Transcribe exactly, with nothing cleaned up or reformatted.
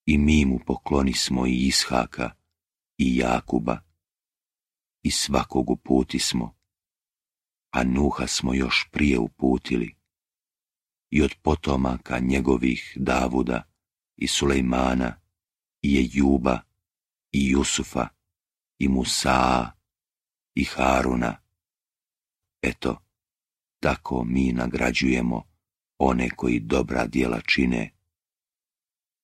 I mi mu poklonismo i Ishaka i Jakuba i svakog uputismo, a Nuha smo još prije uputili i od potomaka njegovih Davuda i Sulejmana i Ejuba i Jusufa i Musaa i Haruna. Eto, tako mi nagrađujemo one koji dobra djela čine